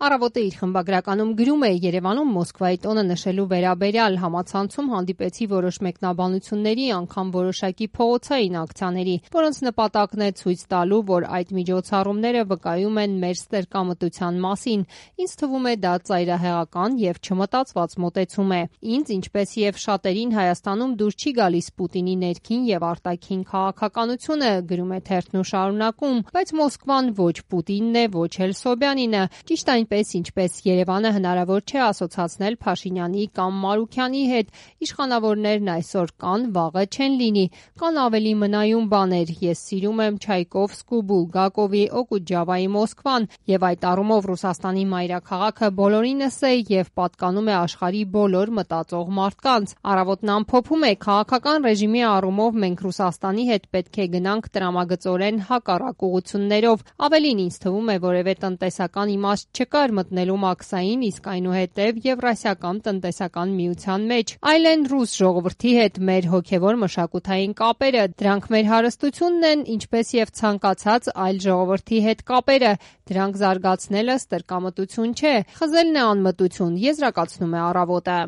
Առավոտը իր խմբագրականում գրում է Երևանում Մոսկվայի տոնը նշելու վերաբերյալ համացանցում հանդիպեցի որոշ մեկնաբանությունների, անգամ որոշակի փողոցային ակցիաների, որոնց նպատակն է ցույց տալու, որ այդ միջոցառումները վկայում են մեր ստրկամտության մասին։ Ինձ թվում է դա ծայրահեղական եւ չմտածված մոտեցում է։ Ինձ, ինչպես եւ շատերին Հայաստանում դուր չի գալիս Պուտինի ներքին եւ արտաքին քաղաքականությունը, գրում է թերթն ու շարունակում, բայց Մոսկվան ոչ Պուտինն է, ոչ էլ Սոբյանինը, ճիշտ այնպես, ինչպես Երևանը հնարավոր չէ ասոցացնել Փաշինյանի կամ Մարուքյանի հետ, իշխանավորներն այսօր կան, վաղը չեն լինի, կան ավելի մնայուն բաներ, ես սիրում եմ Չայկովսկու, Բուլգակովի, Օկուջավայի Մոսկվան, եւ այդ առումով Ռուսաստանի մայրաքաղաքը բոլորինս է եւ պատկանում է աշխարհի բոլոր մտածող մարդկանց։ Առավոտն ամփոփում է քաղաքական ռեժիմի առումով մենք Ռուսաստանի հետ պետք է գնանք տրամագծորեն հակառակ ուղղություններով, ավելին ինձ թվում է որևէ տնտեսական իմաստ չկար մտնելու Մաքսային, իսկ այնուհետև Եվրասիական տնտեսական միության մեջ, այլ են ռուս ժողովրդի հետ մեր հոգևոր մշակութային կապերը, դրանք մեր հարստությունն են, ինչպես եւ ցանկացած այլ ժողովրդի հետ կապերը, դրանք զարգացնելը ստրկամտություն չէ, խզելն է անմտություն, եզրակացնում է Առավոտը։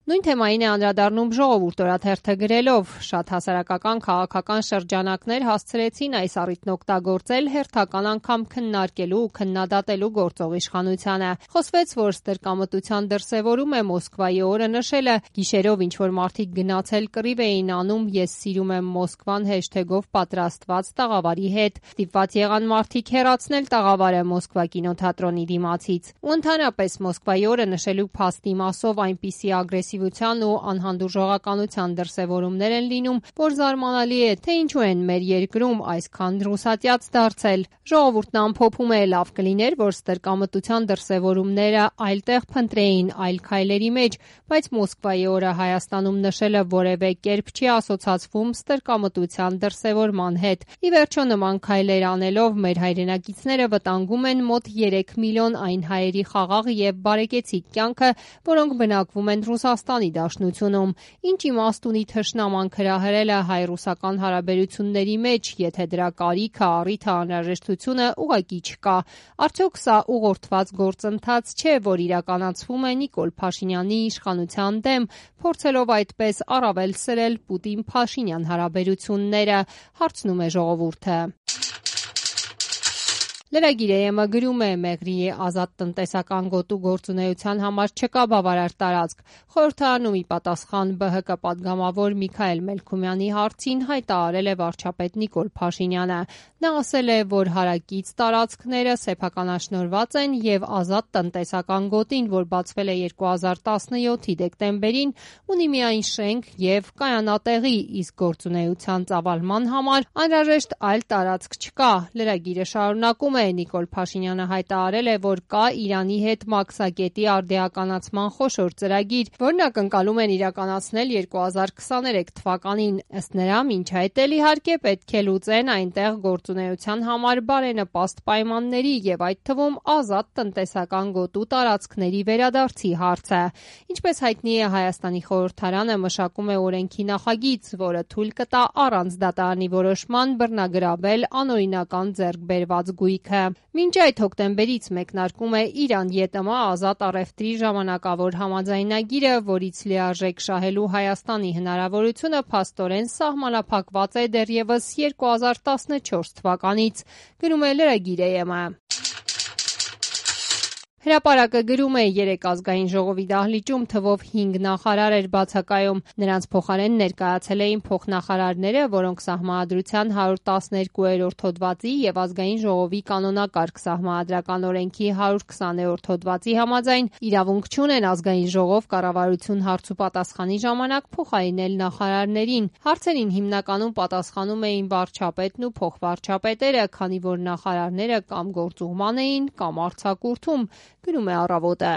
Նույն թեմային է անդրադառնում Ժողովուրդ օրաթերթը գրելով. շատ հասարակական քաղաքական շրջանակներ հասցրեցին այս առիթն օգտագործել հերթական անգամ քննարկելու ու քննադատելու գործող իշխանությանը։ Խոսվեց, որ ստրկամտության դրսևորում է Մոսկվայի օրը նշելը, գիշերով ինչ-որ մարդիկ գնացել կռիվ էին անում «Ես սիրում եմ Մոսկվան» հեշթեգով պատրաստված տաղավարի հետ։ Ստիպված եղան մարդիկ հեռացնել տաղավարը Մոսկվա կինոթատրոնի դիմացից։ Ու ընդհանրապես Մոսկվայի օրը նշելու փաստի մասով այնպիսի ագրեսիվ ու անհանդուրժողականության դրսևորումներ են լինում, որ զարմանալի է, թե ինչու են մեր երկրում այսքան ռուսատյաց դարձել։ Ժողովուրդն ամփոփում է, լավ կլիներ, որ ստրկամտության դրսևորումները այլտեղ փնտրեին այլ քայլերի մեջ, բայց Մոսկվայի օրը Հայաստանում նշելը որևէ կերպ չի ասոցացվում ստրկամտության դրսևորման հետ։ Ի վերջո նման քայլեր անելով մեր հայրենակիցները վտանգում են մոտ 3 միլիոն այն հայերի խաղաղ եւ բարեկեցիկ կյանքը, որոնք բնակվում են Ռուսաստանի Դաշնությունում։ Ինչ իմաստ ունի թշնաման հրահրելը հայ-ռուսական հարաբերությունների մեջ, եթե դրա կարիքը, առիթը, անհրաժեշտությունը ուղղակի չկա։ Արդյոք սա ուղղորդված գործընթաց չէ, որ իրականացվում է Նիկոլ Փաշինյանի իշխանության դեմ, փորձելով այդպես առավել սրել Պուտին-Փաշինյան հարաբերությունները, հարցնում է Ժողովուրդը։ Լրագիր-ը գրում է Մեղրիի ազատ տնտեսական գոտու գործունեության համար չկա բավարար տարածք։ Խորհրդարանում ի պատասխան ԲՀԿ պատգամավոր Միքայել Մելքումյանի հարցին հայտարարել է վարչապետ Նիկոլ Փաշինյանը։ Նա ասել է, որ հարակից տարածքները սեփականաշնորհված են եւ ազատ տնտեսական գոտին, որ բացվել է 2017-ի դեկտեմբերին, ունի միայն շենք եւ կայանատեղի, իսկ գործունեության ծավալման համար անհրաժեշտ այլ տարածք չկա։ Լրագիրը շարունակում Նիկոլ Փաշինյանը հայտարարել է, որ կա Իրանի հետ մաքսակետի արդիականացման խոշոր ծրագիր, որն ակնկալում են իրականացնել 2023 թվականին։ Ըստ նրա, մինչ այդ էլ իհարկե պետք է լուծեն այնտեղ գործունեության համար բարենպաստ պայմանների եւ այդ թվում ազատ տնտեսական գոտու տարածքների վերադարձի հարցը։ Ինչպես հայտնի է, Հայաստանի խորհրդարանը մշակում է օրենքի նախագիծ, որը թույլ կտա առանց դատարանի որոշման բռնագրավել անօրինական ձեռքբերված գույք։ Մինչ այդ հոկտեմբերից մեկնարկում է Իրան-ԵՏՄ ազատ առևտրի ժամանակավոր համաձայնագիրը, որից լիարժեք շահելու Հայաստանի հնարավորությունը փաստորեն սահմանափակված է դեռևս 2014 թվականից, գրում է Լրագիր-ը։ Հրապարակը գրում է, 3 ազգային ժողովի դահլիճում թվով 5 նախարար էր բացակայում։ Նրանց փոխարեն ներկայացել էին փոխնախարարները, որոնք Սահմանադրության 112-րդ հոդվածի եւ ազգային ժողովի կանոնակարգ Սահմանադրական օրենքի 120-րդ հոդվածի համաձայն իրավունք չունեն ազգային ժողով կառավարություն հարցուպատասխանի ժամանակ փոխարինել նախարարներին։ Հարցերին հիմնականում պատասխանում էին վարչապետն ու փոխվարչապետերը, քանի որ նախարարները կամ գործուղման էին, կամ արձակուրդում, գրում է Առավոտը։